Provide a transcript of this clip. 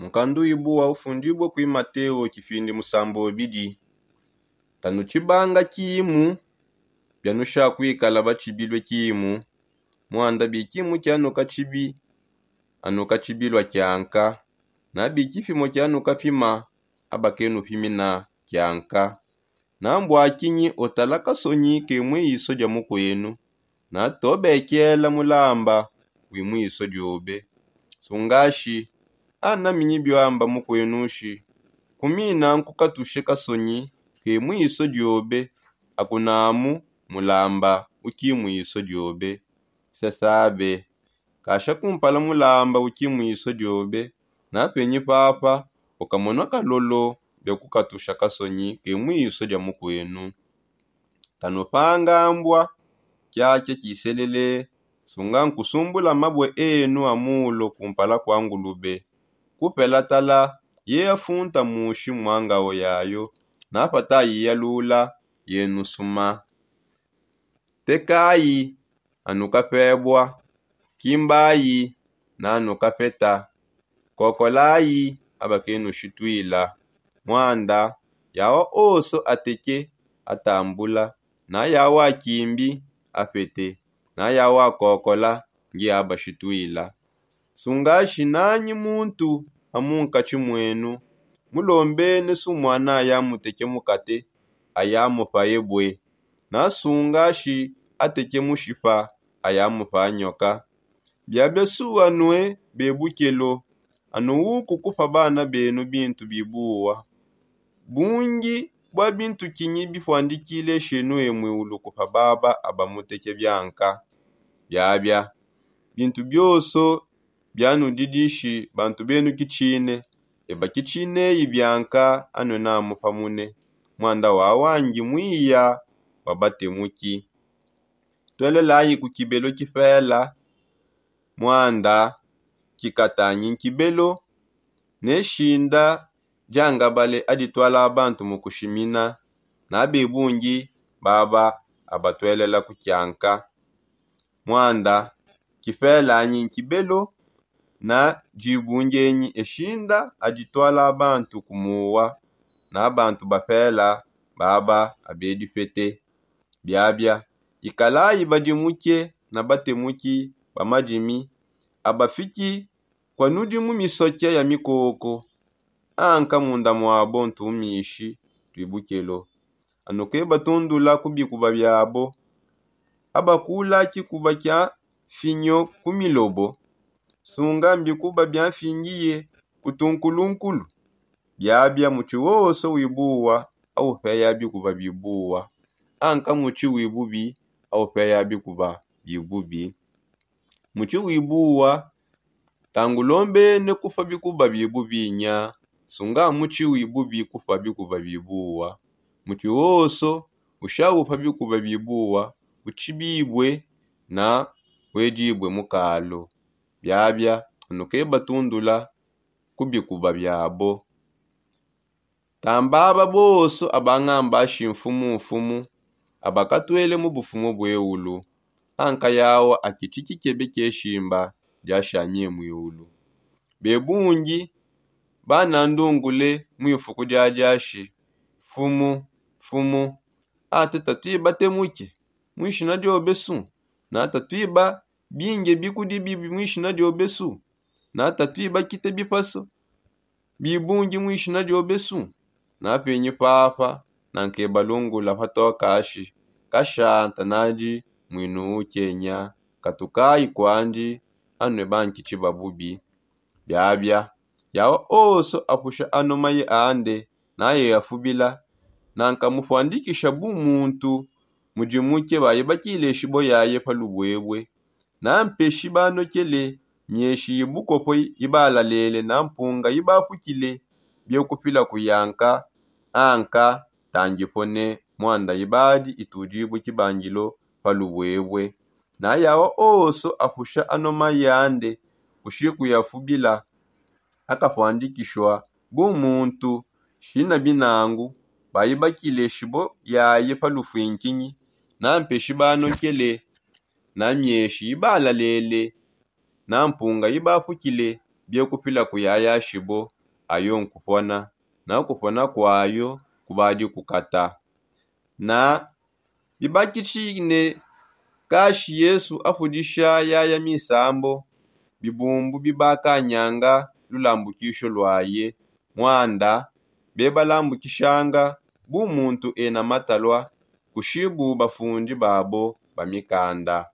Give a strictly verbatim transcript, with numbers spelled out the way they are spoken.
Nkandu ibu wa ufundibue kui mateo kipindi musambobidi. Tanu tshibanga kimu bianusha kuikala batshibilue kimu. Muanda bikimu kianuka tshibi anuka tshibilua kianka. Na bikipimo kianuka pima abakenupimina kianka. Na mbua kinyi utala kasonyi ke mu iso dia mukuenu? Na tobekela mulamba wi mu iso diobe. Sungashi anaminyi bioamba mukuenushi, kumina nkukatushe kasonyi ke mu iso diobe. Akunamu mulamba uki mu iso diobe. Sesabe kasha kumpala mulamba uki mu iso diobe. Na penyi papa ukamona kalolo bia kukatusha kasonyi ke mu iso dia mukuenu. Tanupanga mbua kiakia kiselele. Sunga nkusumbula mabue enu a mulo kumpala kua ngulube. Kupela tala ye afunta mushi mua ngao yayo. Napata ayiyalula yenusuma. Tekayi anukapebua. Kimbayi nanukapeta. Kokolayi abakenushituila. Muanda yawa oso ateke atambula. Na yawa akimbi apete. Na yawa akokola ngi abashituila. Sungashi nanyi muntu amunkatshi muenu mulombene sumwana ayamuteke mukate ayamupa ebue. Na sungashi ateke mushipa ayamupa anyoka. Biabia suanue bebukelo. Anuuku kupa bana benu bintu bibuwa. Bungi bua bintu kinyi bipuandikile shenue muiulu kupa baba abamuteke bianka? Biabia bintu bioso bianudidishi bantu benu kitshine. Eba kitshineyi bianka anue namu pamune. Muanda wawangi muiya wa batemuki. Tuelelayi ku kibelo kipela. Muanda kikatanyi nkibelo ne shinda diangabale adituala bantu mu kushimina. Na bebungi baba abatuelela ku kianka. Muanda kipelanyi nkibelo na dibungenyi eshinda adituala bantu kumuwa. Na bantu bapela baba abedipete. Biabia ikalayi badimuke na batemuki ba madimi abafiki kua nudi mu misoke ya mikoko. Anka munda muabo ntumishi tuibukelo. Anuke batundula ku bikuba biabo. Abakula kikuba kia mfinyo ku milobo. Sunga mbikuba bia mfingiye ku tunkulunkulu. Biabia mutshi wonso wibuwa aupeya bikuba bibuwa. Anka mutshi wibubi aupeya bikuba bibubi. Mutshi wibuwa tangulombene kupa bikuba bibubi nya. Sunga mutshi wibubi kupa bikuba bibuwa. Mutshi wonso ushaupa bikuba bibuwa utshibibue na wedibue mukalu. Biabia anuke batundula ku bikuba biabo. Tambaba bonso abangambashi mfumu mfumu abakatuele mu bufumu bueulu. Anka yawa akitshi kikebe kieshimba diashamie muiulu. Bebungi banandungule mu ifuku diadiashi. Mfumu, mfumu, ate tatuiba temuke muishina diobesu? Na tatuiba binge bikudi bibi muishina diobesu? Na tatuiba kite bipasu bibungi muishina diobesu? Na penyi papa nankebalungula patokashi kashanta nadi muinu ukenya. Katukayi kwandi anue bankitshi ba bubi. Biabia yawa onso apusha ano maye ande naye afubila. Nankamupuandikisha bu muntu mudimuke baye bakileshi bo yaye pa lubuebue. Na mpeshi banokele mieshi ibukopo ibalalele na mpunga ibapukile biekupila kuyanka. Anka tangipone muanda ibadi itudibue kibangilo pa lubuebue. Na yawa onso apusha ano maye ande kushi kuyafubila. Akapuandikishua bu muntu shina binangu bayi bakileshi bo yaye pa lufuinkinyi. Na mpeshi banokele na mieshi ibalalele na mpunga ibapukile biekupila kuyayashibo ayo nkupona, na kupona kwayo kubadi kukata. Na bibakitshine kashi yesu apudisha yaya misambo, bibumbu bibakanyanga lulambukisho lwaye, mwanda bebalambukishanga bu muntu ena matalwa kushibu bafundi babo ba mikanda.